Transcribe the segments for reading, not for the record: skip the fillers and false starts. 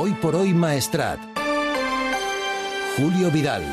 Hoy por hoy Maestrat. Julio Vidal.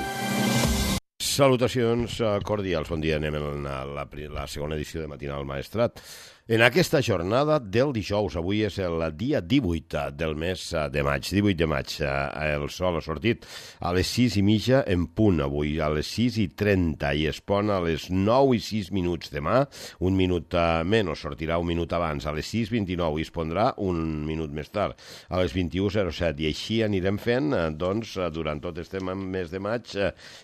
Salutacions cordials. Bon dia. Anem a la segona edició de Matinal Maestrat. En aquesta jornada del dijous, avui és el dia 18 del mes de maig. 18 de maig, el sol ha sortit a les 6:30 en punt avui, a les 6:30 i es pon a les 9:06 demà, un minut menys, sortirà un minut abans, a les 6:29 i es pondrà un minut més tard, a les 21:07, i així anirem fent doncs, durant tot este mes de maig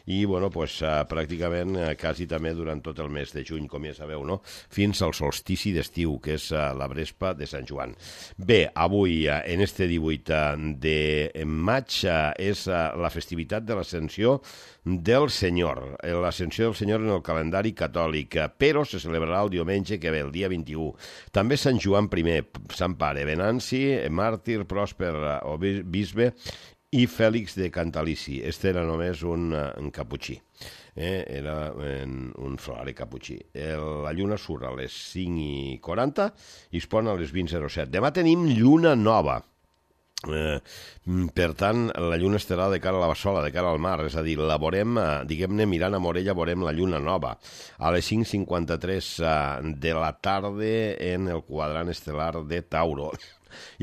i bueno, pues, pràcticament quasi també durant tot el mes de juny, com ja sabeu, no? Fins al solstici d'estiu, que és la Vespa de Sant Joan. Bé, avui, en este 18 de maig, és la festivitat de l'Ascensió del Senyor. L'Ascensió del Senyor en el calendari catòlic, però se celebrarà el diumenge que ve, el dia 21. També Sant Joan I, Sant Pare, Venanci, màrtir, pròsper o bisbe, i Fèlix de Cantalici. Este era només un caputxí. Era un frare caputxí. La lluna surt a les 5:40 i es pon a les 20:07. Demà tenim lluna nova. Per tant, la lluna estarà de cara a la Bassola, de cara al mar, és a dir, la veurem, diguem-ne, mirant a Morella, veurem la lluna nova a les 5:53 de la tarda en el quadrant estel·lar de Tauro.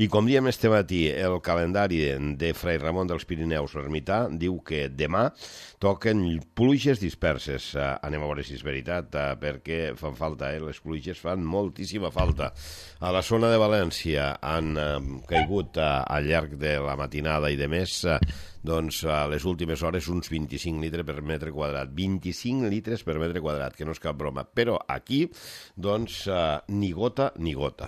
I com diem este matí, el calendari de Fray Ramon dels Pirineus Ermità diu que demà toquen pluges disperses. Anem a veure si és veritat, perquè fan falta, les pluges fan moltíssima falta. A la zona de València han caigut al llarg de la matinada i de més, doncs a les últimes hores uns 25 litres per metre quadrat. 25 litres per metre quadrat, que no és cap broma. Però aquí, doncs, ni gota ni gota.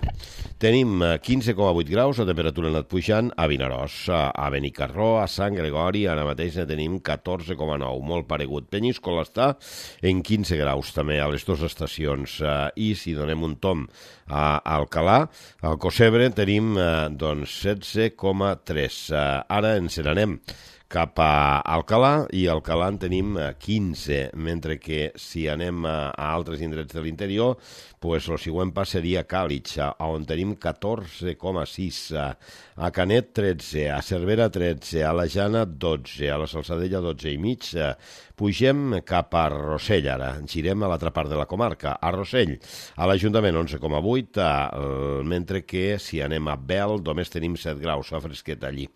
Tenim 15,8 graus, la temperatura ha anat pujant a Vinaròs, a Benicarló, a Sant Gregori, ara mateix ne tenim 14,9, molt paregut. Penyíscola està en 15 graus també a les dues estacions, i si donem un tom a Alcalà, al Cosebre tenim doncs 16,3. Ara ens n'anem cap a Alcalà, i a Alcalà en tenim 15, mentre que si anem a altres indrets de l'interior, pues el següent pas seria Càlig, on tenim 14,6, a Canet 13, a Cervera 13, a la Jana 12, a la Salzadella 12,5. Pugem cap a Rossell ara, girem a l'altra part de la comarca, a Rossell, a l'Ajuntament 11,8, mentre que si anem a Bel només tenim 7 graus, fa fresquet allí.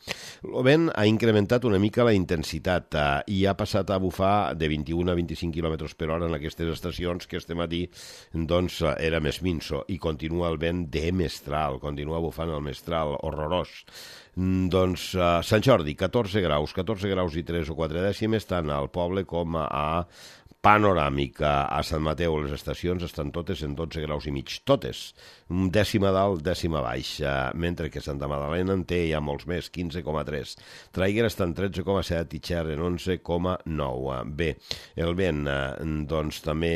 El vent ha incrementat una mica la intensitat i ha passat a bufar de 21 a 25 km per hora en aquestes estacions, que este matí doncs era més minso, i continua el vent de mestral, continua bufant el mestral horrorós. Doncs Sant Jordi, 14 graus i 3 o 4 dècimes, tant al poble com a Panoràmica. A Sant Mateu les estacions estan totes en 12 graus i mig, totes, dècima dalt, dècima baix, mentre que Santa Magdalena en té ja molts més, 15,3. Traiguera està en 13,7 i Xer en 11,9. Bé, el vent doncs també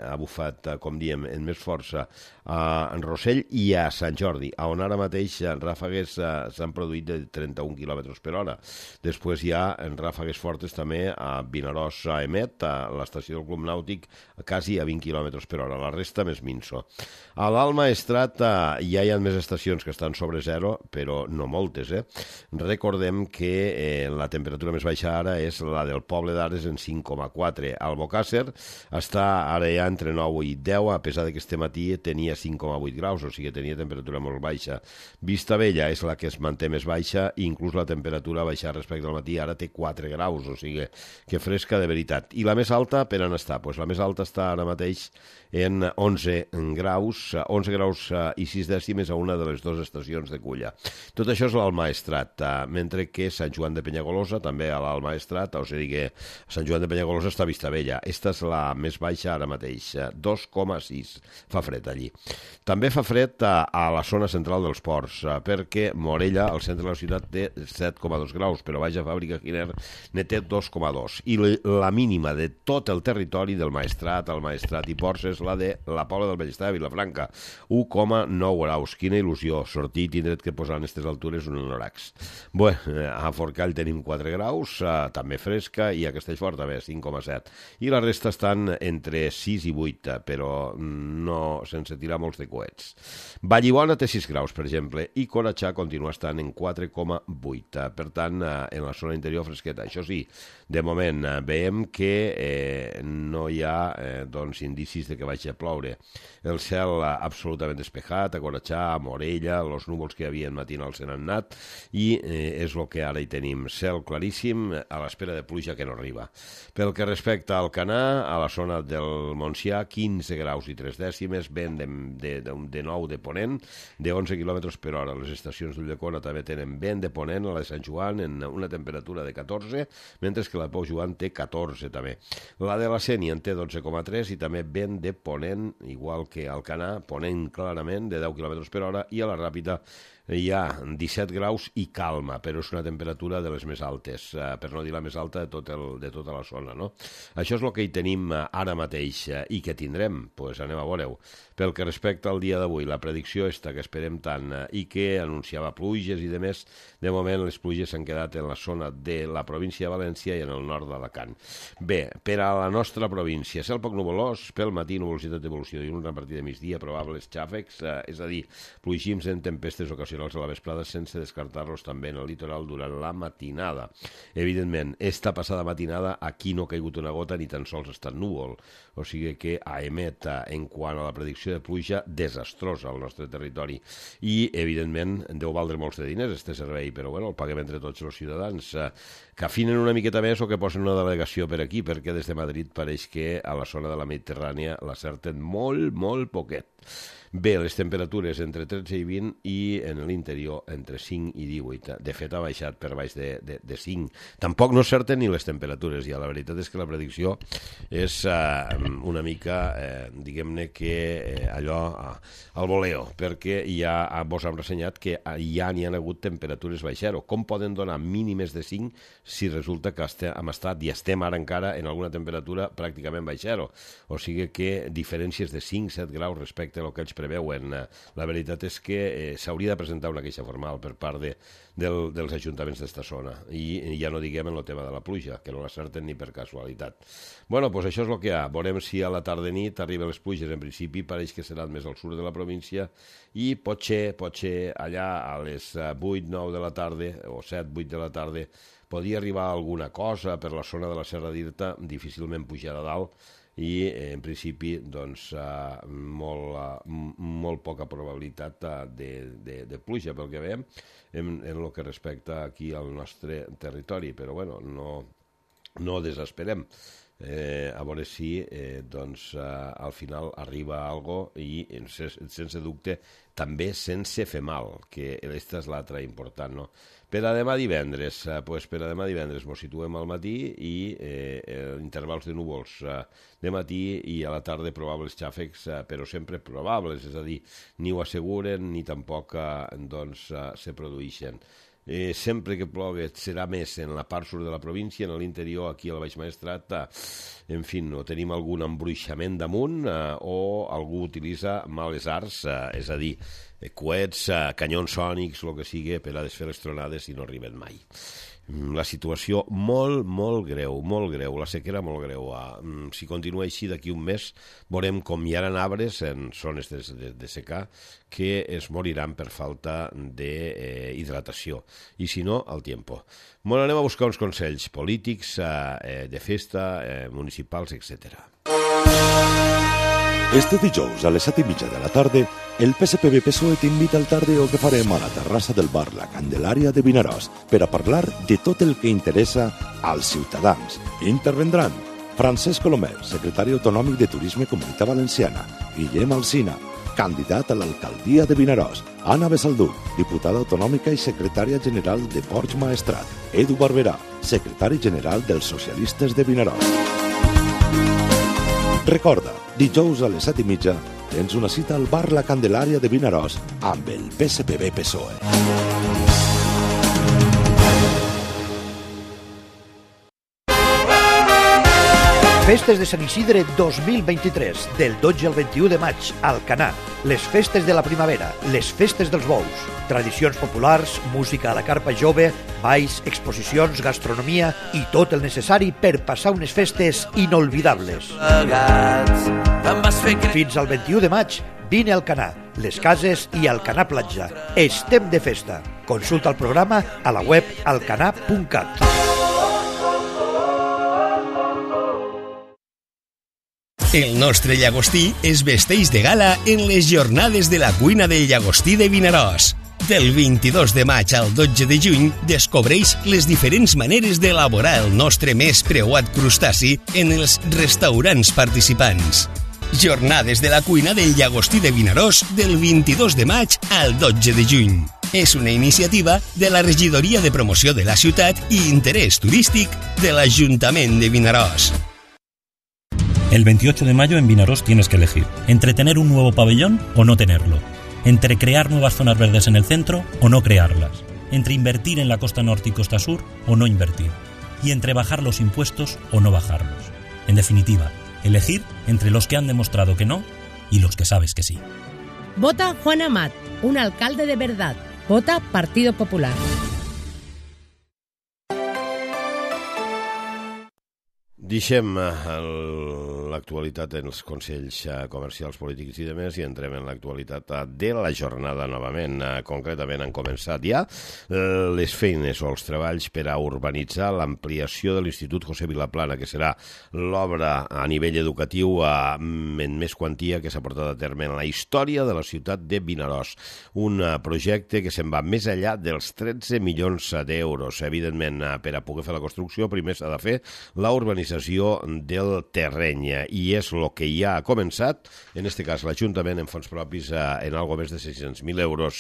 ha bufat, com diem, en més força a Rossell i a Sant Jordi, on ara mateix ràfegues s'han produït de 31 km per hora. Després hi ha ràfegues fortes també a Vinaròs, a Emet, a l'estació del Club Nàutic, quasi a 20 km per hora, la resta més minso. A l'Alt Maestrat ja hi ha més estacions que estan sobre zero, però no moltes. Recordem que la temperatura més baixa ara és la del Poble d'Ares en 5,4. Albocàsser està ara ja entre 9 i 10, a pesar que este matí tenia 5,8 graus, o sigui, tenia temperatura molt baixa. Vistabella és la que es manté més baixa, i inclús la temperatura ha baixat respecte al matí, ara té 4 graus, o sigui, que fresca de veritat. I la més alta, per on està? Pues la més alta està ara mateix en 11 graus i 6 dècimes a una de les dues estacions de Culla. Tot això és l'Alt Maestrat, mentre que Sant Joan de Penyagolosa, també a l'Alt Maestrat, o sigui que Sant Joan de Penyagolosa està a Vistabella. Esta és la més baixa ara mateix, 2,6. Fa fred allí. També fa fred a la zona central dels ports, perquè Morella, al centre de la ciutat, té 7,2 graus, però Baix a Fàbrica Giner ne té 2,2. I la mínima de tot tot el territori del Maestrat, el Maestrat i Ports és la de la Pobla del Bellestar de Vilafranca, 1,9 graus. Quina il·lusió, sortir i tindre't que posar en aquestes altures un anoracs. Bé, a Forcall tenim 4 graus, també fresca, i a Castellfort també 5,7. I la resta estan entre 6 i 8, però no sense tirar molts de coets. Vallibona té 6 graus, per exemple, i Conatxà continua estant en 4,8. Per tant, en la zona interior fresqueta. Això sí, de moment veiem que no hi ha indicis de que vagi a ploure. El cel absolutament despejat, a Conatxà, a Morella, els núvols que hi havia matinals se n'han anat, i és el que ara hi tenim. Cel claríssim, a l'espera de pluja que no arriba. Pel que respecta al Canà, a la zona del Montsià, 15 graus i 3 dècimes, vent de 9 de ponent, de 11 km per hora. Les estacions d'Ulldecona també tenen vent de ponent, a la de Sant Joan en una temperatura de 14, mentre que la de Pau Joan té 14 també. La de la Sénia en té 12,3 i també vent de ponent, igual que al Canà, ponent clarament de 10 km per hora, i a la Ràpita hi ha 17 graus i calma, però és una temperatura de les més altes, per no dir la més alta de tota la zona, no? Això és el que hi tenim ara mateix i que tindrem, doncs anem a veure-ho. Pel que respecta al dia d'avui, la predicció que esperem tant i que anunciava pluges i demés, de moment les pluges s'han quedat en la zona de la província de València i en el nord d'Alacant. Bé, per a la nostra província, cel poc nuvolós, pel matí nuvolositat d'evolució i un repartir de migdia, probables xàfecs, és a dir, plugims en tempestes ocasionals a la vesprada sense descartar-los també en el litoral durant la matinada. Evidentment, esta passada matinada aquí no ha caigut una gota ni tan sols ha estat núvol, o sigui que emet en quant a la predicció de pluja desastrosa al nostre territori i evidentment deu valdre molts de diners este servei, però bueno, el paguem entre tots els ciutadans, que afinen una miqueta més o que posen una delegació per aquí, perquè des de Madrid pareix que a la zona de la Mediterrània l'acerten molt, molt poquet. Bé, les temperatures entre 13 i 20 i en l'interior entre 5 i 18. De fet, ha baixat per baix de 5. Tampoc no certen ni les temperatures, ja. La veritat és que la predicció és una mica, diguem-ne que allò al voleo, perquè ja vos hem ressenyat que ja n'hi ha hagut temperatures baix zero. Com poden donar mínimes de 5 si resulta que hem estat i estem ara encara en alguna temperatura pràcticament baix zero? O sigui que diferències de 5-7 graus respecte a el que ells preveuen. La veritat és que s'hauria de presentar una queixa formal per part dels ajuntaments d'esta zona i ja no diguem en el tema de la pluja, que no l'acerten ni per casualitat. Bueno, doncs això és el que hi ha. Veurem si a la tarda-nit arriben les pluges. En principi pareix que seran més al sud de la província i potser allà a les 8-9 de la tarda o 7-8 de la tarda podria arribar alguna cosa per la zona de la Serra d'Irta, difícilment pujar a dalt, i en principi doncs molt poca probabilitat de pluja pel que veiem en el que respecta aquí al nostre territori, però bueno, no desesperem. A veure si al final arriba algo i sense dubte també sense fer mal, que aquesta és l'altra important, no? Per a demà divendres, mos situem al matí i intervals de núvols de matí i a la tarda probables xàfecs, però sempre probables, és a dir, ni ho asseguren ni tampoc se produeixen. Sempre que plogui serà més en la part sud de la província, en l'interior, aquí al Baix Maestrat, en fi, no tenim algun embruixament damunt o algú utilitza males arts, és a dir, coets, canyons sònics, el que sigui, per a desfer les tronades i no arriben mai. La situació molt greu, la sequera molt greu. Si continua així d'aquí un mes, veurem com hi ha arbres en zones de secà que es moriran per falta d'hidratació. I si no, al tiempo. Bueno, anem a buscar uns consells polítics, de festa, municipals, etc. Este dijous a les 7:30 de la tarda, el PSPB-PSOE t'invita al tardeo que farem a la terrassa del bar La Candelària de Vinaròs per a parlar de tot el que interessa als ciutadans. Intervendran Francesc Colomer, secretari autonòmic de Turisme Comunitat Valenciana, Guillem Alsina, candidat a l'alcaldia de Vinaròs, Anna Besaldú, diputada autonòmica i secretària general de Ports Maestrat, Edu Barberà, secretari general dels Socialistes de Vinaròs. Recorda, dijous a les 7:30 tens una cita al bar La Candelària de Vinaròs amb el PSPB-PSOE. Festes de Sant Isidre 2023, del 12 al 21 de maig, a Alcanar. Les festes de la primavera, les festes dels bous. Tradicions populars, música a la carpa jove, balls, exposicions, gastronomia i tot el necessari per passar unes festes inolvidables. Fins al 21 de maig, vine a Alcanar, les cases i Alcanar Platja. Estem de festa. Consulta el programa a la web alcanar.cat. El nostre llagostí es vesteix de gala en les jornades de la cuina del llagostí de Vinaròs. Del 22 de maig al 12 de juny descobreix les diferents maneres d'elaborar el nostre més preuat crustaci en els restaurants participants. Jornades de la cuina del llagostí de Vinaròs del 22 de maig al 12 de juny. És una iniciativa de la Regidoria de Promoció de la Ciutat i Interès Turístic de l'Ajuntament de Vinaròs. El 28 de mayo en Vinaròs tienes que elegir entre tener un nuevo pabellón o no tenerlo, entre crear nuevas zonas verdes en el centro o no crearlas, entre invertir en la costa norte y costa sur o no invertir, y entre bajar los impuestos o no bajarlos. En definitiva, elegir entre los que han demostrado que no y los que sabes que sí. Vota Juan Amat, un alcalde de verdad. Vota Partido Popular. Deixem l'actualitat en els consells comercials, polítics i demés i entrem en l'actualitat de la jornada novament. Concretament han començat ja les feines o els treballs per a urbanitzar l'ampliació de l'Institut José Vilaplana, que serà l'obra a nivell educatiu en més quantia que s'ha portat a terme en la història de la ciutat de Vinaròs. Un projecte que se'n va més enllà dels 13 milions d'euros. Evidentment, per a poder fer la construcció, primer s'ha de fer la urbanització del terreny i és el que ja ha començat, en aquest cas l'Ajuntament en fons propis en algo més de 600.000 euros.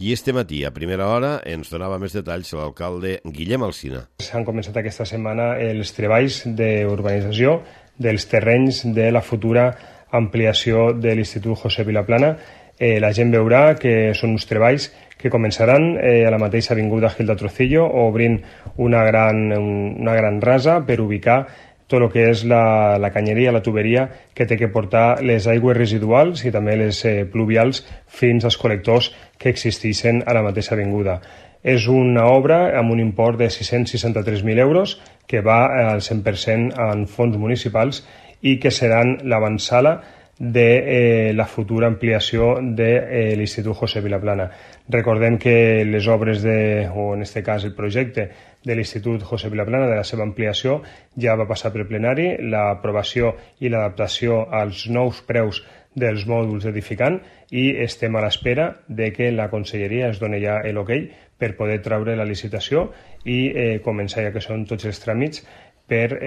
I este matí, a primera hora, ens donava més detalls l'alcalde Guillem Alsina. Han començat aquesta setmana els treballs d'urbanització dels terrenys de la futura ampliació de l'Institut José Vilaplana. La gent veurà que són uns treballs que començaran a la mateixa avinguda Gil de Trocillo, obrint una gran rasa per ubicar tot el que és la canyeria, la tuberia que té que portar les aigües residuals i també les pluvials fins als col·lectors que existeixen a la mateixa avinguda. És una obra amb un import de 663.000 euros que va al 100% en fons municipals i que seran l'avantsala de la futura ampliació de l'Institut José Vilaplana. Recordem que les obres o en aquest cas el projecte de l'Institut José Vilaplana, de la seva ampliació, ja va passar per plenari, l'aprovació i l'adaptació als nous preus dels mòduls edificant i estem a l'espera de que la Conselleria es doni ja l'ok per poder treure la licitació i començar, ja que són tots els tràmits, per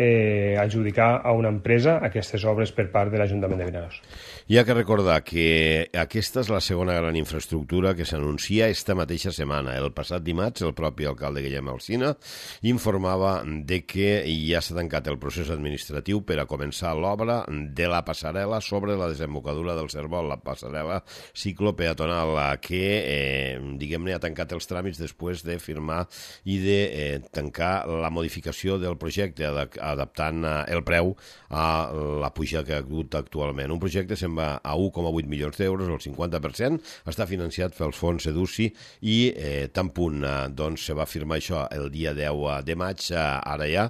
adjudicar a una empresa aquestes obres per part de l'Ajuntament de Vinaròs. Hi ha que recordar que aquesta és la segona gran infraestructura que s'anuncia esta mateixa setmana. El passat dimarts, el propi alcalde Guillem Alsina informava de que ja s'ha tancat el procés administratiu per a començar l'obra de la passarel·la sobre la desembocadura del Cérvol, la passarel·la ciclopeatonal, que, diguem-ne, ha tancat els tràmits després de firmar i de tancar la modificació del projecte, adaptant el preu a la pujada que ha hagut actualment. Un projecte se'n va a 1,8 milions d'euros, el 50%, està financiat pels fons EDUCI i tan punt se va firmar això el dia 10 de maig, ara ja,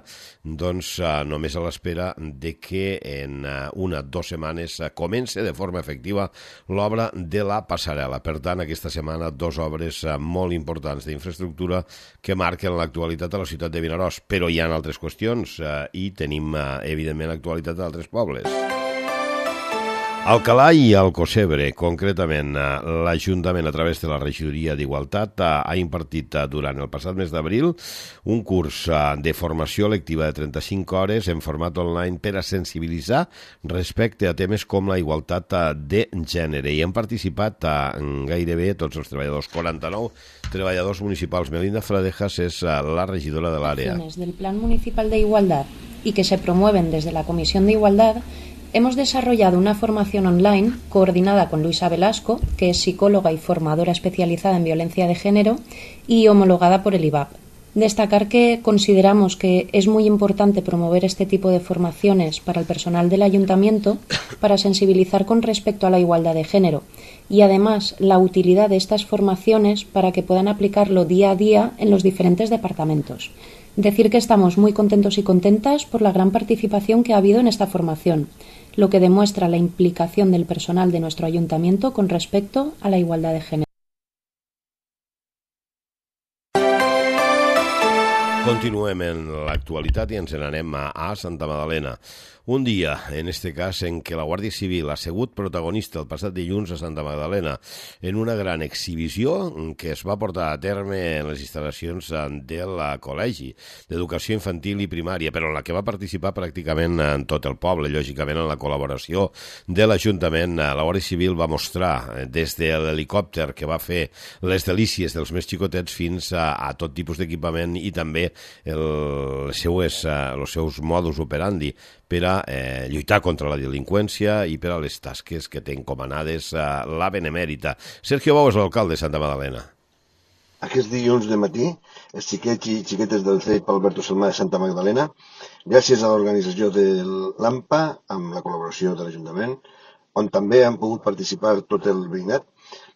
només a l'espera de que en 1 o 2 setmanes comence de forma efectiva l'obra de la passarel·la. Per tant, aquesta setmana 2 obres molt importants d'infraestructura que marquen l'actualitat a la ciutat de Vinaròs, però hi ha altres qüestions i tenim, evidentment, l'actualitat d'altres pobles. Alcalà i Alcocebre, concretament, l'Ajuntament, a través de la Regidoria d'Igualtat, ha impartit durant el passat mes d'abril un curs de formació lectiva de 35 hores en format online per a sensibilitzar respecte a temes com la igualtat de gènere. I han participat gairebé tots els treballadors, 49 treballadors municipals. Melinda Fradejas és la regidora de l'àrea. Del Plan Municipal de Igualdad y que se promueven desde la Comisión de Igualdad, hemos desarrollado una formación online coordinada con Luisa Velasco, que es psicóloga y formadora especializada en violencia de género y homologada por el IVAP. Destacar que consideramos que es muy importante promover este tipo de formaciones para el personal del ayuntamiento para sensibilizar con respecto a la igualdad de género y además la utilidad de estas formaciones para que puedan aplicarlo día a día en los diferentes departamentos. Decir que estamos muy contentos y contentas por la gran participación que ha habido en esta formación, lo que demuestra la implicación del personal de nuestro ayuntamiento con respecto a la igualdad de género. Continuem en l'actualitat i ens n'anem a Santa Magdalena. Un dia, en este cas, en què la Guàrdia Civil ha sigut protagonista el passat dilluns a Santa Magdalena en una gran exhibició que es va portar a terme en les instal·lacions del Col·legi d'Educació Infantil i Primària, però en la que va participar pràcticament en tot el poble, lògicament en la col·laboració de l'Ajuntament. La Guàrdia Civil va mostrar des de l'helicòpter que va fer les delícies dels més xicotets fins a tot tipus d'equipament i també els seus modus operandi per a lluitar contra la delinqüència i per a les tasques que té encomanades la Benemèrita. Sergio Bou és l'alcalde de Santa Magdalena. Aquest dilluns de matí, els xiquets i xiquetes del CEIP Alberto Salmà de Santa Magdalena, gràcies a l'organització de l'AMPA, amb la col·laboració de l'Ajuntament, on també han pogut participar tot el veïnat,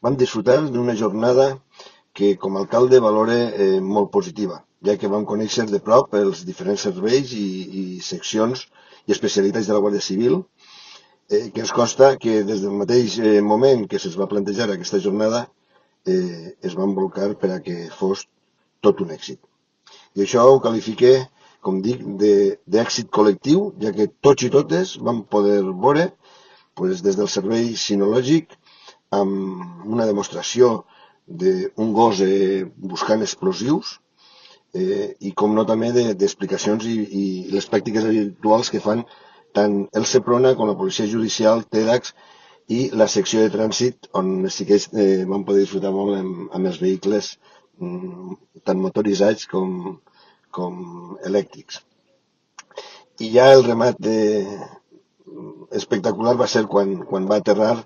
vam disfrutar d'una jornada que com a alcalde valore molt positiva, ja que vam conèixer de prop els diferents serveis i seccions i especialitats de la Guàrdia Civil, que ens consta que des del mateix moment que se'ls va plantejar aquesta jornada es van volcar per a que fos tot un èxit. I això ho qualifique, com dic, d'èxit col·lectiu, ja que tots i totes vam poder veure des del servei sinològic amb una demostració d'un gos buscant explosius i com no també d'explicacions i les pràctiques habituals que fan tant el Seprona com la Policia Judicial, TEDx i la secció de trànsit on els xiquets van poder disfrutar molt amb els vehicles tant motoritzats com elèctrics. I ja el remat espectacular va ser quan va aterrar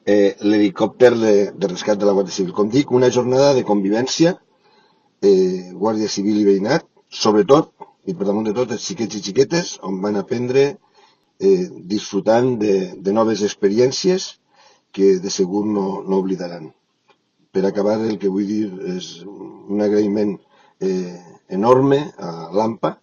l'helicòpter de rescat de la Guàrdia Civil. Com dic, una jornada de convivència, Guàrdia Civil i veïnat, sobretot, i per damunt de tot, els xiquets i xiquetes, on van aprendre disfrutant de noves experiències que de segur no oblidaran. Per acabar, el que vull dir és un agraïment enorme a l'AMPA.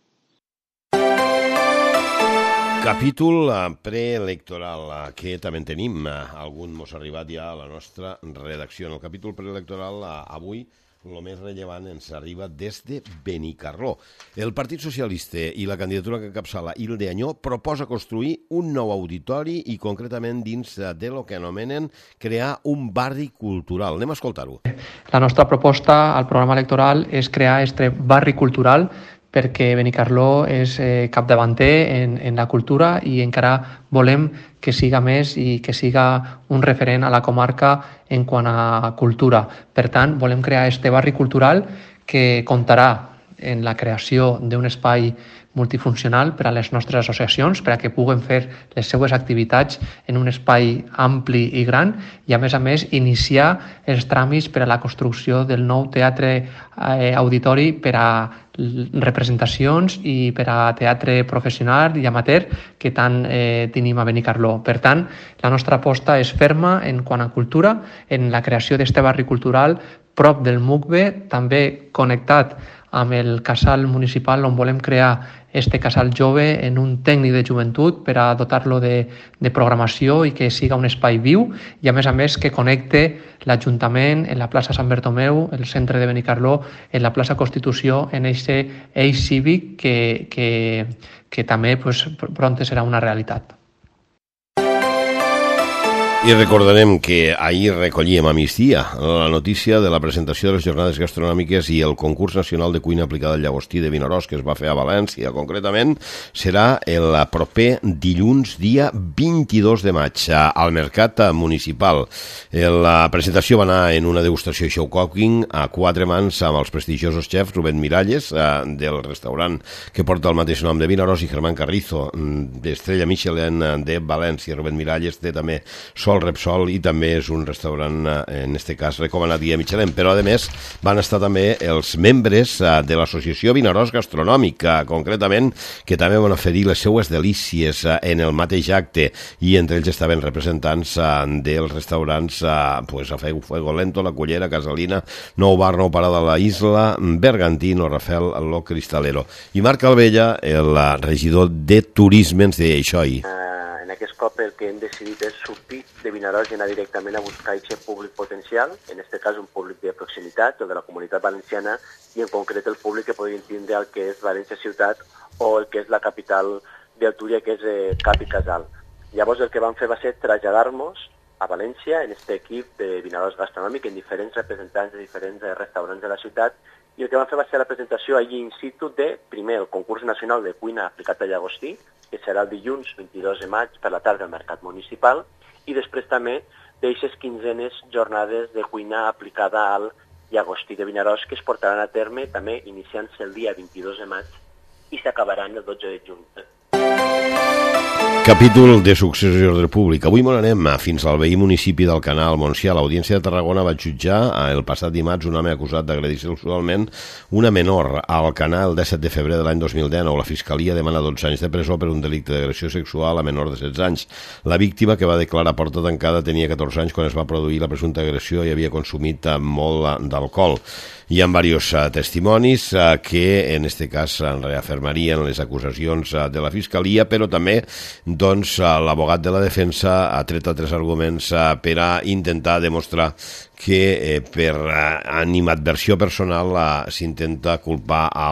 Capítol preelectoral, que també en tenim. Algun mos ha arribat ja a la nostra redacció. En el capítol preelectoral, avui, el més rellevant ens arriba des de Benicarló. El Partit Socialista i la candidatura que encapçala Hilde Añó proposa construir un nou auditori i concretament dins de lo que anomenen crear un barri cultural. Anem a escoltar-ho. La nostra proposta al programa electoral és crear este barri cultural perquè Benicarló és capdavanter en la cultura i encara volem que siga més i que siga un referent a la comarca en quant a cultura. Per tant, volem crear este barri cultural que comptarà en la creació d'un espai multifuncional per a les nostres associacions, per a que puguen fer les seues activitats en un espai ampli i gran i, a més, iniciar els tràmits per a la construcció del nou teatre auditori per a representacions i per a teatre professional i amateur que tant tenim a Benicarló. Per tant, la nostra aposta és ferma en quant a cultura, en la creació d'este barri cultural prop del MUCBE, també connectat amb el casal municipal on volem crear este casal jove en un tècnic de joventut per a dotar-lo de programació i que siga un espai viu i, a més, que connecte l'Ajuntament en la plaça Sant Bertomeu, el centre de Benicarló, en la plaça Constitució, en aquest eix cívic que també pront serà una realitat. I recordarem que ahir recollíem a migdia la notícia de la presentació de les jornades gastronòmiques i el concurs nacional de cuina aplicada al llagostí de Vinaròs que es va fer a València. Concretament, serà el proper dilluns, dia 22 de maig, al Mercat Municipal. La presentació va anar en una degustació i show cooking a 4 mans amb els prestigiosos xefs Rubén Miralles, del restaurant que porta el mateix nom de Vinaròs, i Germán Carrizo, d'Estrella Michelin de València. Rubén Miralles té també Sol Repsol, i també és un restaurant, en este cas, recomanat guia Michelin. Però, a més, van estar també els membres de l'Associació Vinaròs Gastronòmic, concretament, que també van oferir les seues delícies en el mateix acte, i entre ells estaven representants dels restaurants a Fuego Lento, La Cullera, Casalina, Nou Bar, Nou Parada, La Isla, Bergantino, Rafel, Lo Cristalero. I Marc Albella, el regidor de Turisme, ens deia això ahir. En aquest cop el que hem decidit és sortir de Vinaròs i anar directament a buscar aquest públic potencial, en aquest cas un públic de proximitat o de la Comunitat Valenciana, i en concret el públic que podrien tindre el que és València Ciutat o el que és la capital del Túria, que és Cap i Casal. Llavors el que vam fer va ser traslladar-nos a València en aquest equip de Vinaròs Gastronòmic, en diferents representants de diferents restaurants de la ciutat, i el que vam fer va ser la presentació allí in situ de, primer, el concurs nacional de cuina aplicat a llagostí, que serà el dilluns 22 de maig per la tarda al Mercat Municipal, i després també d'eixes 15 jornades de cuina aplicada al llagostí de Vinaròs, que es portaran a terme també iniciant-se el dia 22 de maig i s'acabaran el 12 de juny. Capítol de successió d'ordre públic. Avui m'on anem fins al veí municipi d'Alcanar, al Montsià. L'Audiència de Tarragona va jutjar el passat dimarts un home acusat d'agredir sexualment una menor a Alcanar el 17 de febrer de l'any 2019. La Fiscalia demana 12 anys de presó per un delicte d'agressió sexual a menor de 16 anys. La víctima, que va declarar a porta tancada, tenia 14 anys quan es va produir la presumpta agressió i havia consumit molt d'alcohol. Hi ha diversos testimonis que, en aquest cas, reafirmarien les acusacions de la Fiscalia, però també l'abogat de la defensa ha tret altres arguments per a intentar demostrar que per animadversió personal s'intenta culpar a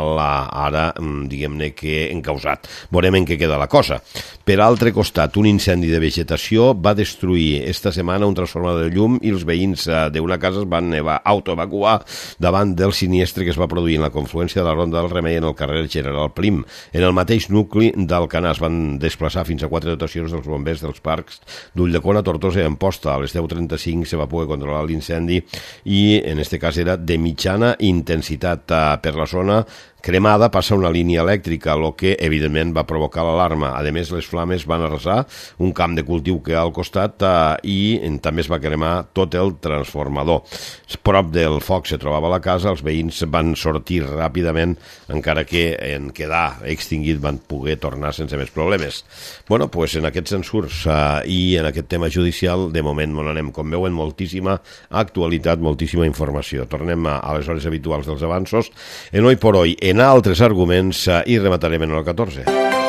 ara, diguem-ne, que encausat. Veurem en què queda la cosa. Per altre costat, un incendi de vegetació va destruir esta setmana un transformador de llum i els veïns d'una casa es van autoevacuar davant del sinistre que es va produir en la confluència de la Ronda del Remei en el carrer General Prim. En el mateix nucli d'Alcanar es van desplaçar fins a 4 dotacions dels bombers dels parcs d'Ulldecona, Tortosa i Amposta. A les 10:35 se va poder controlar l'incendi i en aquest cas era de mitjana intensitat. Per la zona cremada passa una línia elèctrica, el que evidentment va provocar l'alarma. A més, les flames van arrasar un camp de cultiu que hi ha al costat i també es va cremar tot el transformador. Prop del foc se trobava la casa, els veïns van sortir ràpidament, encara que en quedar extingit van poder tornar sense més problemes. Bueno, doncs en aquests ensurs i en aquest tema judicial, de moment on anem, com veuen, moltíssima actualitat, moltíssima informació. Tornem a les hores habituals dels avanços. En Hoy por Hoy, en altres arguments, i rematarem en el 14.